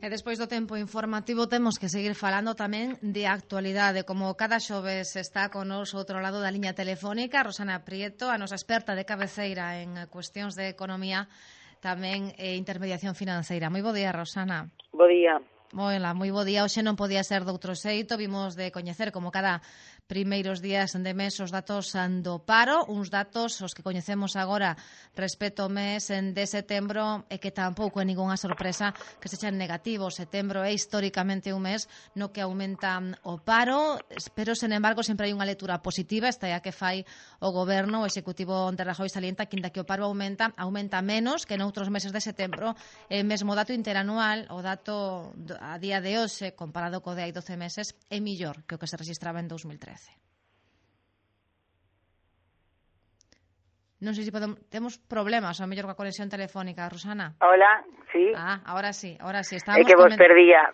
E despois do tempo informativo temos que seguir falando tamén de actualidade. Como cada xoves está con nos outro lado da liña telefónica Rosana Prieto, a nosa experta de cabeceira en cuestións de economía, tamén intermediación financeira. Moi bo día, Rosana. Bo día. Moi bo día. Hoxe non podía ser de outro xeito. Vimos de coñecer, como cada primeiros días de mes, os datos do paro, uns datos os que coñecemos agora respecto ao mes de setembro e que tampouco é ningunha sorpresa que sexan negativos. Setembro é históricamente un mes no que aumenta o paro, pero, sen embargo, sempre hai unha lectura positiva, esta é a que fai o goberno, o executivo de Rajoy salienta que, inda que o paro aumenta menos que noutros meses de setembro. E mesmo dato interanual, o dato a día de hoxe, comparado co de hai 12 meses, é millor que o que se registraba en 2013. Non sei se temos problemas, ao mellor coa conexión telefónica, Rosana. Hola, sí. Ahora sí. É que vos perdía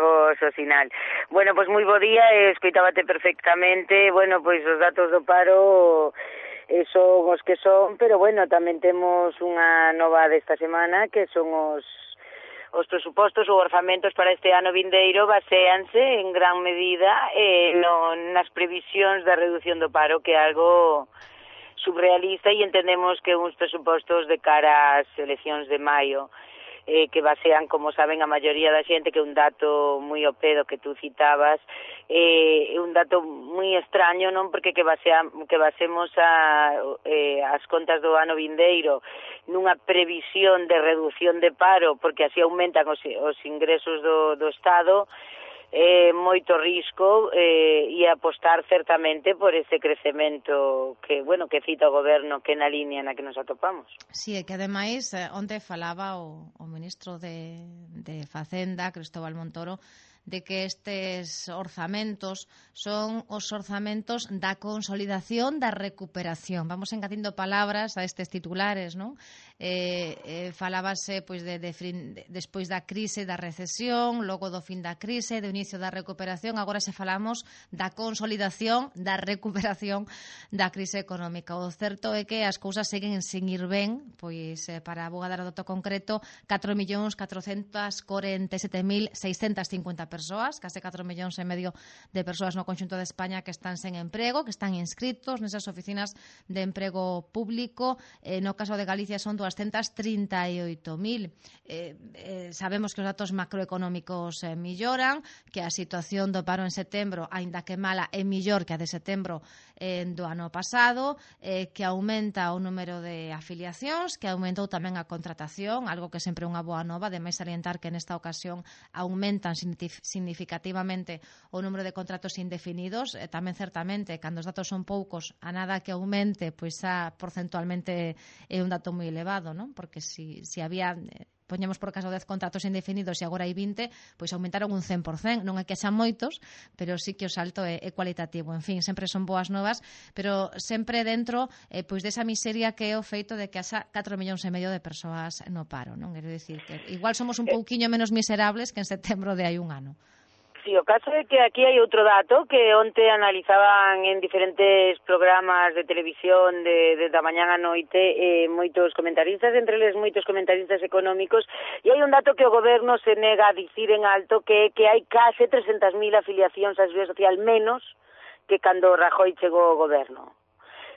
vos o sinal. Bueno, pois moi bo día, escoitábate perfectamente. Bueno, pois os datos do paro son os que son, pero bueno, tamén temos unha nova desta semana que son os presupostos ou orzamentos para este ano vindeiro baséanse en gran medida nas previsións da reducción do paro, que é algo surrealista, e entendemos que uns presupostos de cara ás eleccións de maio que basean, como saben a maioría da xente, que é un dato moi ao pedo que tú citabas, é un dato moi extraño, non? Porque que basemos as contas do ano vindeiro nunha previsión de reducción de paro, porque así aumentan os ingresos do Estado, moito risco e apostar certamente por ese crecemento que cita o goberno, que é na línea na que nos atopamos. Si, é que ademais onte falaba o ministro de Facenda, Cristóbal Montoro, de que estes orzamentos son os orzamentos da consolidación da recuperación. Vamos engadindo palabras a estes titulares, non? Falábase pois despois da crise, da recesión, logo do fin da crise, do inicio da recuperación. Agora se falamos da consolidación, da recuperación da crise económica. O certo é que as cousas seguen sen ir ben, pois para vou dar o dato concreto, 4.447.650 persoas, case 4 millóns e medio de persoas no conxunto de España que están sen emprego, que están inscritos nesas oficinas de emprego público. No caso de Galicia son 238.000. Sabemos que os datos macroeconómicos melloran, que a situación do paro en setembro, aínda que mala, é mellor que a de setembro do ano pasado, que aumenta o número de afiliacións, que aumentou tamén a contratación, algo que sempre é unha boa nova, ademais salientar que nesta ocasión aumentan significativamente o número de contratos indefinidos. Tamén certamente, cando os datos son poucos, a nada que aumente, pois xa porcentualmente é un dato moi elevado, non? Porque si había poñemos por caso 10 contratos indefinidos e agora hai 20, pois aumentaron un 100%. Non é que xa moitos, pero sí que o salto é cualitativo. En fin, sempre son boas novas, pero sempre dentro pois desa miseria que é o feito de que haxa 4 millóns e medio de persoas no paro, non? Quero dicir que igual somos un pouquiño menos miserables que en setembro de hai un ano. Sí, o caso é que aquí hai outro dato que onte analizaban en diferentes programas de televisión da mañán á noite moitos comentaristas, entre eles moitos comentaristas económicos, e hai un dato que o goberno se nega a dicir en alto, que hai case 300.000 afiliacións á Seguridade Social menos que cando Rajoy chegou ao goberno.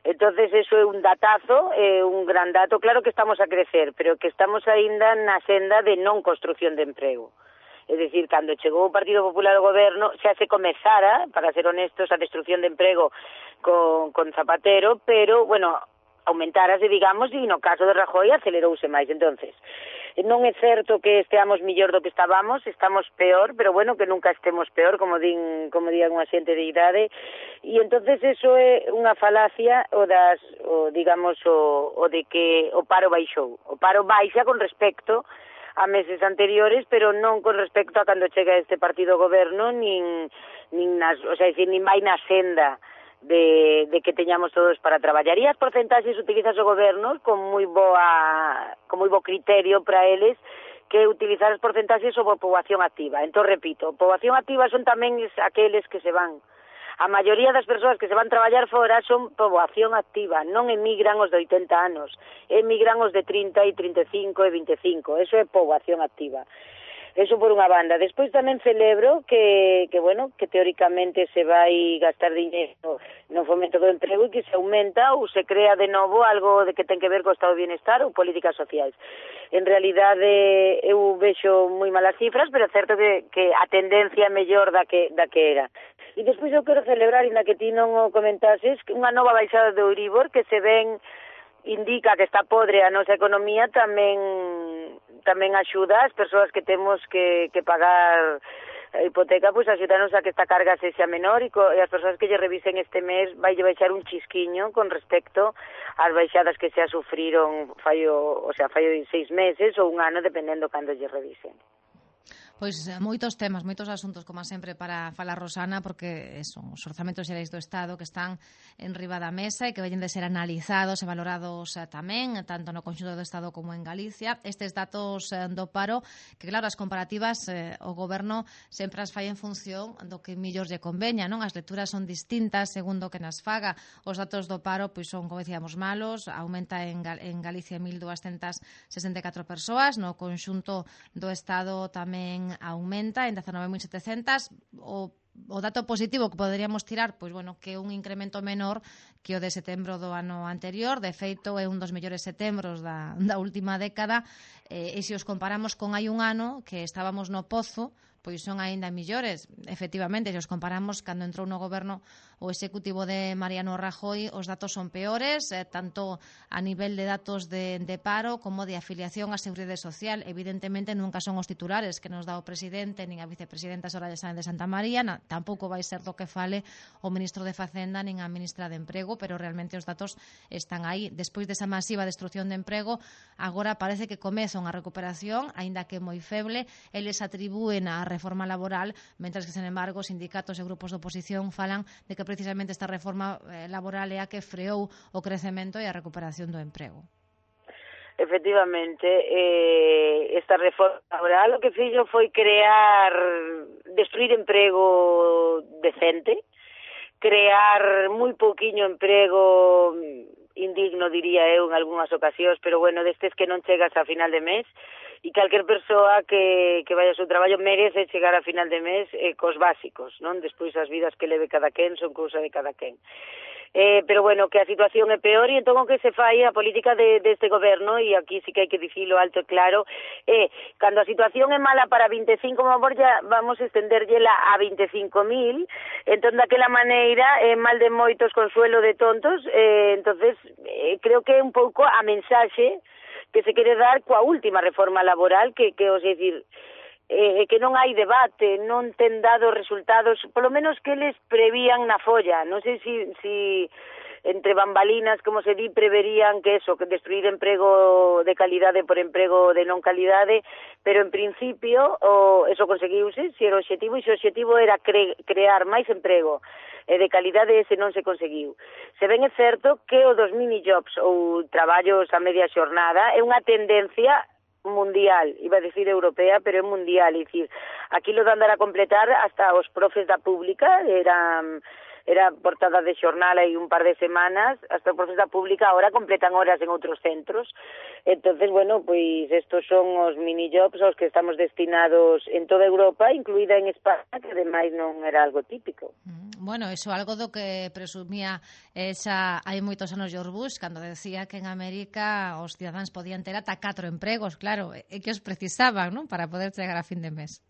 Entonces, eso é un datazo, un gran dato. Claro que estamos a crecer, pero que estamos aínda na senda de non construcción de emprego. É dicir, cando chegou o Partido Popular ao goberno, xa se comezara, para ser honestos, a destrucción de emprego con Zapatero, pero, bueno, aumentárase, digamos, e no caso de Rajoy acelerouse máis. Entonces, non é certo que esteamos millor do que estamos peor, pero bueno, que nunca estemos peor, como digan unha xente de idade, e entonces eso é unha falacia o de que o paro baixou. O paro baixa con respecto a meses anteriores, pero non con respecto a cando chega este partido ao goberno, nin vai na senda de que teñamos todos para traballar. E as porcentaxes utilizas o goberno con moi bo criterio para eles, que utilizar as porcentaxes sobre poboación activa. Entón, repito, poboación activa son tamén aqueles que se van. A maioría das persoas que se van traballar fora son poboación activa, non emigran os de 80 anos, emigran os de 30 e 35 e 25, eso é poboación activa. Eso por unha banda. Despois tamén celebro que bueno, que teóricamente se vai gastar dinheiro no fomento do emprego e que se aumenta ou se crea de novo algo de que ten que ver co estado de bienestar ou políticas sociais. En realidade eu vexo moi malas cifras, pero é certo que a tendencia é mellor da que era. E despois eu quero celebrar, inda que ti non o comentases, unha nova baixada de Euribor que se ven indica que está podre a nosa economía, tamén axuda as persoas que temos que pagar a hipoteca, pois axudanos a que esta carga sexa menor e as persoas que lle revisen este mes vai baixar un chisquiño con respecto ás baixadas que se sufriron fallo 6 meses ou un ano, dependendo cando lle revisen. Pois moitos temas, moitos asuntos, como sempre, para falar, Rosana, porque son os orzamentos xerais do Estado que están en riba da mesa e que veñen de ser analizados e valorados tamén, tanto no conxunto do Estado como en Galicia. Estes datos do paro, que claro, as comparativas o Goberno sempre as fai en función do que millor lle conveña, non? As lecturas son distintas segundo que nas faga. Os datos do paro pois son, como decíamos, malos, aumenta en Galicia 1.264 persoas, no conxunto do Estado tamén aumenta en 19.700. O dato positivo que poderíamos tirar, pois bueno, que é un incremento menor que o de setembro do ano anterior. De feito, é un dos mellores setembros da última década, e se os comparamos con hai un ano que estábamos no pozo, pois son aínda millores. Efectivamente, se os comparamos cando entrou no goberno o executivo de Mariano Rajoy, os datos son peores, tanto a nivel de datos de paro como de afiliación á Seguridade Social. Evidentemente, nunca son os titulares que nos dá o presidente nin a vicepresidenta Soraya Sáenz de Santamaría, tampouco vai ser do que fale o ministro de Facenda nin a ministra de Emprego, pero realmente os datos están aí. Despois desa masiva destrucción de emprego, agora parece que comeza unha recuperación, aínda que moi feble. Eles atribúen a reforma laboral, mentras que, sen embargo, os sindicatos e grupos de oposición falan de que precisamente esta reforma laboral é a que freou o crecemento e a recuperación do emprego. Efectivamente, esta reforma laboral o que fixo foi destruir emprego decente, crear moi pouquiño emprego indigno, diría eu, en algunhas ocasións, pero bueno, destes que non chegas a final de mes, e calquer persoa que vai ao seu traballo merece chegar a final de mes cos básicos, non? Despois as vidas que leve cada quen son cousa de cada quen. Pero bueno, que a situación é peor e entón o que se fai a política deste goberno, e aquí sí que hai que dicilo alto e claro, cando a situación é mala para 25, vamos a estenderllela a 25.000, entón daquela maneira mal de moitos, consuelo de tontos. Entonces creo que é un pouco a mensaxe que se quere dar coa última reforma laboral, que os decir, que non hai debate, non ten dado resultados, polo menos que eles prevían na folla. Non sei si entre bambalinas, como se di, preverían que destruir emprego de calidade por emprego de non calidade, pero en principio eso conseguiuse, se era o objetivo, e se o objetivo era crear máis emprego de calidade, ese non se conseguiu. Se ben é certo que o dos mini-jobs ou traballos a media xornada é unha tendencia mundial, iba a decir europea, pero é mundial, é dicir, aquí lo de andar a completar hasta os profes da pública, era portada de xornal hai un par de semanas, hasta os profes da pública agora completan horas en outros centros. Entonces, bueno, pois estos son os mini-jobs aos que estamos destinados en toda Europa, incluída en España, que ademais non era algo típico. Bueno, iso algo do que presumía xa hai moitos anos George Bush, cando decía que en América os cidadáns podían ter ata 4 empregos, claro, e que os precisaban, non, para poder chegar a fin de mes.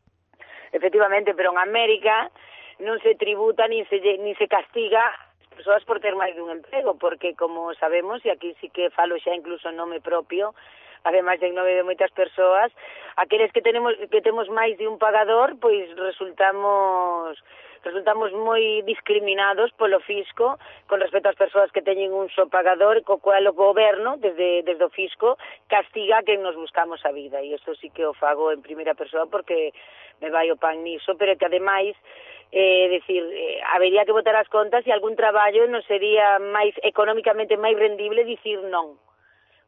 Efectivamente, pero en América non se tributa ni se castiga as persoas por ter máis dun emprego, porque, como sabemos, e aquí sí que falo xa incluso en nome propio, ademais de en nome de moitas persoas, aqueles que temos máis de un pagador, pois resultamos moi discriminados polo fisco con respecto ás persoas que teñen un só pagador, co cual o goberno, desde o fisco, castiga a quen nos buscamos a vida, e isto sí que o fago en primeira persoa porque me vai o pan niso, pero que ademais habería que botar as contas e algún traballo non sería máis económicamente máis rendible dicir non.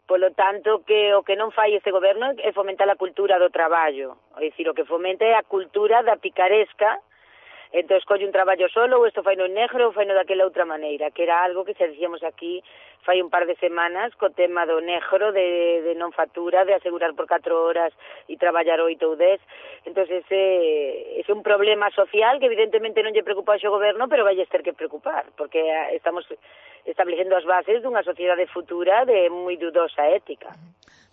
Polo tanto, que o que non fai este goberno é fomentar a cultura do traballo, é dicir, o que fomenta é a cultura da picaresca, entón colle un traballo solo, ou isto fai no negro ou fai no daquela outra maneira, que era algo que xa dicíamos aquí fai un par de semanas co tema do negro de non factura, de asegurar por 4 horas e traballar 8 ou 10. Entón ese é un problema social que evidentemente non lle preocupa ao goberno, pero vai ter que preocupar, porque estamos establecendo as bases dunha sociedade futura de moi dudosa ética.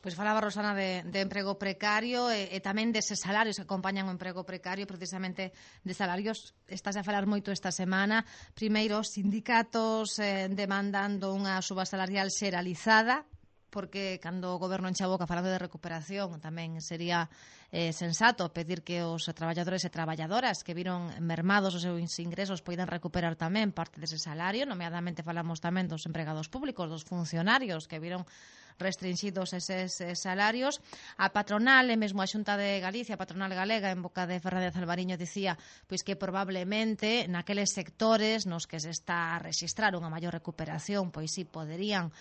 Pois falaba Rosana de emprego precario e tamén deses salarios que acompañan o emprego precario, precisamente de salarios. Estás a falar moito esta semana. Primeiro, os sindicatos demandando unha suba salarial xeralizada, porque cando o goberno enche a boca falando de recuperación tamén sería sensato pedir que os traballadores e traballadoras que viron mermados os seus ingresos poidan recuperar tamén parte dese salario. Nomeadamente falamos tamén dos empregados públicos, dos funcionarios que viron restringidos eses salarios. A patronal, e mesmo a Xunta de Galicia, a patronal galega, en boca de Fernández Alvariño, dicía pois que probablemente naqueles sectores nos que se está a registrar unha maior recuperación, pois sí poderían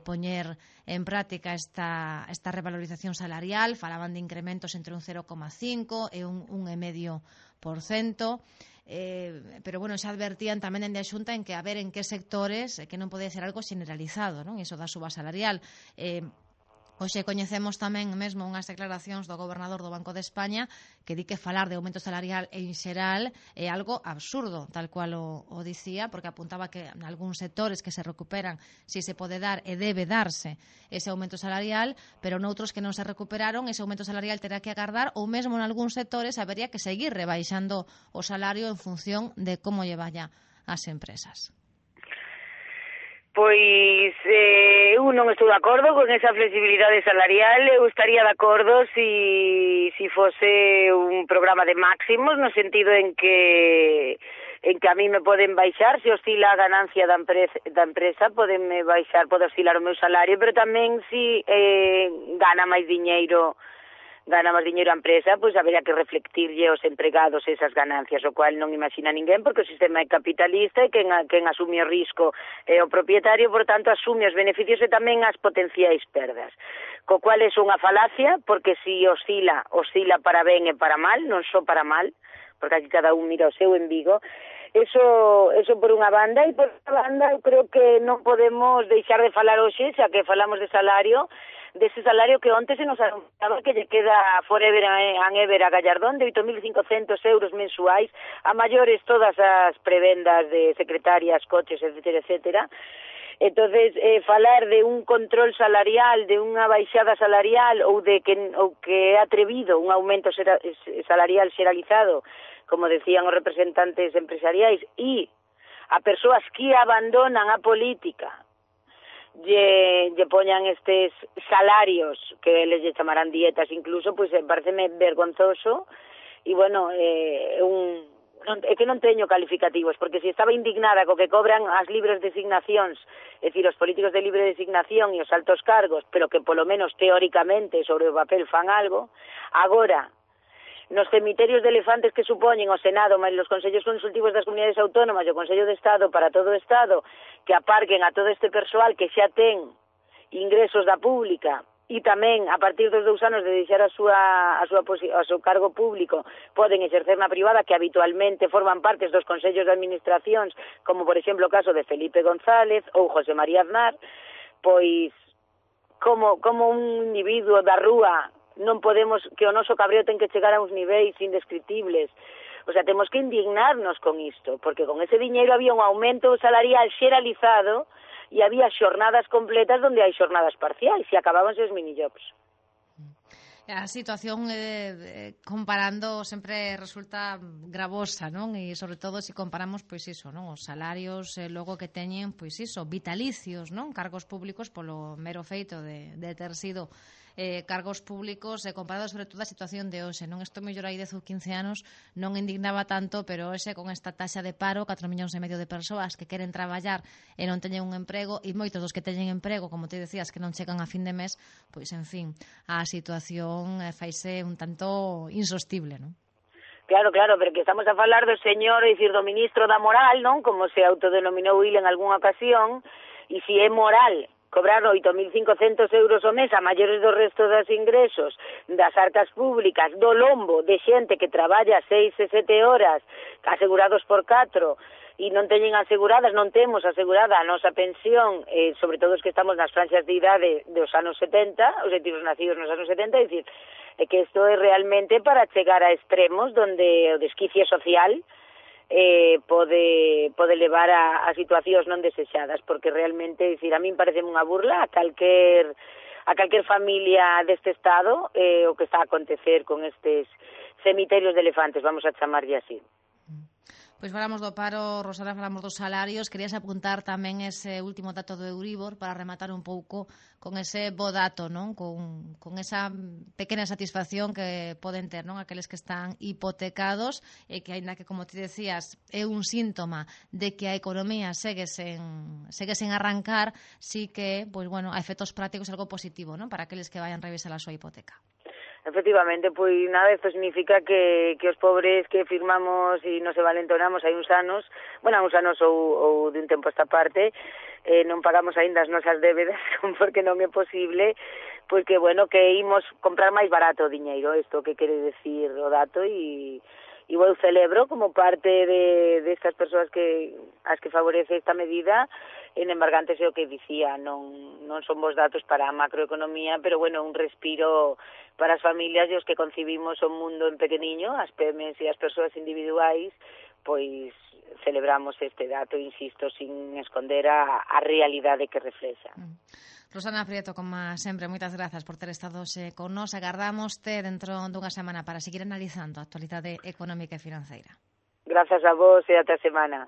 poñer en práctica esta revalorización salarial. Falaban de incrementos entre un 0,5 e un 1,5%. Pero bueno, xa advertían tamén dende a Xunta en que a ver en que sectores que non pode ser algo generalizado, non? Iso da suba salarial. Hoxe coñecemos tamén mesmo unhas declaracións do gobernador do Banco de España que di que falar de aumento salarial en xeral é algo absurdo, tal cual o dicía, porque apuntaba que en algúns sectores que se recuperan si se pode dar e debe darse ese aumento salarial, pero noutros que non se recuperaron ese aumento salarial terá que agardar, ou mesmo en algúns sectores habería que seguir rebaixando o salario en función de como lle vaya ás empresas. Pois eu non estou de acordo con esa flexibilidade salarial. Eu estaría de acordo si fose un programa de máximos, no sentido en que a mí me poden baixar, se oscila a ganancia da empresa, podenme baixar, pode oscilar o meu salario, pero tamén si gana máis diñeiro a empresa, pois habería que reflectirlle aos empregados esas ganancias, o cual non imagina ninguén, porque o sistema é capitalista e quen asume o risco é o propietario, por tanto asume os beneficios e tamén as potenciais perdas. Co cual é unha falacia, porque si oscila para ben e para mal, non só para mal, porque aquí cada un mira o seu en Vigo. Eso por unha banda, e por outra banda eu creo que non podemos deixar de falar hoxe, xa que falamos de salario, dese salario que onte se nos anunciaba que lle queda forever and ever a Gallardón de 8.500 euros mensuais, a maiores todas as prebendas de secretarias, coches, etcétera, etcétera. Entonces, falar de un control salarial, de unha baixada salarial ou que é atrevido un aumento salarial xeralizado, como decían os representantes empresariais, e a persoas que abandonan a política lle poñan estes salarios que les chamarán dietas incluso, pois pareceme vergonzoso. E bueno, é que non teño calificativos, porque se estaba indignada co que cobran as libres designacións, é dicir, os políticos de libre designación e os altos cargos, pero que polo menos teóricamente sobre o papel fan algo, agora nos cemiterios de elefantes que supoñen o Senado, máis os consellos consultivos das comunidades autónomas e o Consello de Estado para todo o Estado, que aparquen a todo este persoal que xa ten ingresos da pública e tamén, a partir dos 2 anos de deixar o seu cargo público, poden exercer na privada, que habitualmente forman partes dos consellos de administracións, como por exemplo o caso de Felipe González ou José María Aznar. Pois como un individuo da rúa non podemos, que o noso cabreo ten que chegar a uns niveis indescriptibles. O sea, temos que indignarnos con isto, porque con ese diñeiro había un aumento salarial xeralizado e había xornadas completas onde hai xornadas parciais e acabábanse os minijobs. A situación comparando sempre resulta gravosa, non? E sobre todo se comparamos pois iso, non? Os salarios logo que teñen pois iso, vitalicios, non? Cargos públicos polo mero feito de ter sido cargos públicos, comparado sobre todo a situación de hoxe, non? Isto mellor hai 10 ou 15 anos non indignaba tanto, pero hoxe con esta taxa de paro, 4,5 millóns de persoas que queren traballar e non teñen un emprego, e moitos dos que teñen emprego, como te decías, que non chegan a fin de mes, pois en fin, a situación faise un tanto insostible, non? Claro, porque estamos a falar do señor, é dicir, do ministro da moral, non? Como se autodenominou il en algunha ocasión, e se é moral cobrar 8.500 euros ao mes a maiores do resto dos ingresos das arcas públicas, do lombo de xente que traballa 6 e 7 horas asegurados por 4 e non teñen aseguradas, non temos asegurada a nosa pensión, sobre todo os que estamos nas franxas de idade dos anos 70, os tiros nacidos nos anos 70, é dicir, que isto é realmente para chegar a extremos donde o desquicie social pode levar a situacións non desexadas, porque realmente, dicir, a min parece unha burla a calquer familia deste estado o que está a acontecer con estes cemiterios de elefantes, vamos a chamarlle así. Pois falamos do paro, Rosana, falamos dos salarios. Querías apuntar tamén ese último dato do Euribor para rematar un pouco con ese bo dato, non? Con esa pequena satisfacción que poden ter, non? Aqueles que están hipotecados e que, aínda que, como te decías, é un síntoma de que a economía segue sen arrancar, sí que, pois, bueno, a efectos prácticos é algo positivo, non? Para aqueles que vayan revisar a súa hipoteca. Efectivamente, pois nada, isto significa que os pobres que firmamos e nos valentonamos hai uns anos ou de un tempo esta parte, non pagamos aínda as nosas débedas porque non é posible, pois que, bueno, que imos comprar máis barato o diñeiro, isto que quere decir o dato, e eu celebro como parte de estas persoas as que favorece esta medida. En embargante, o que dicía, non son bons datos para a macroeconomía, pero, bueno, un respiro para as familias e os que concibimos o mundo en pequeniño, as PEMES e as persoas individuais, pois celebramos este dato, insisto, sin esconder a realidade que reflexa. Rosana Prieto, como sempre, moitas grazas por ter estado con nós. Agardámoste dentro dunha semana para seguir analizando a actualidade económica e financeira. Grazas a vos e ata a semana.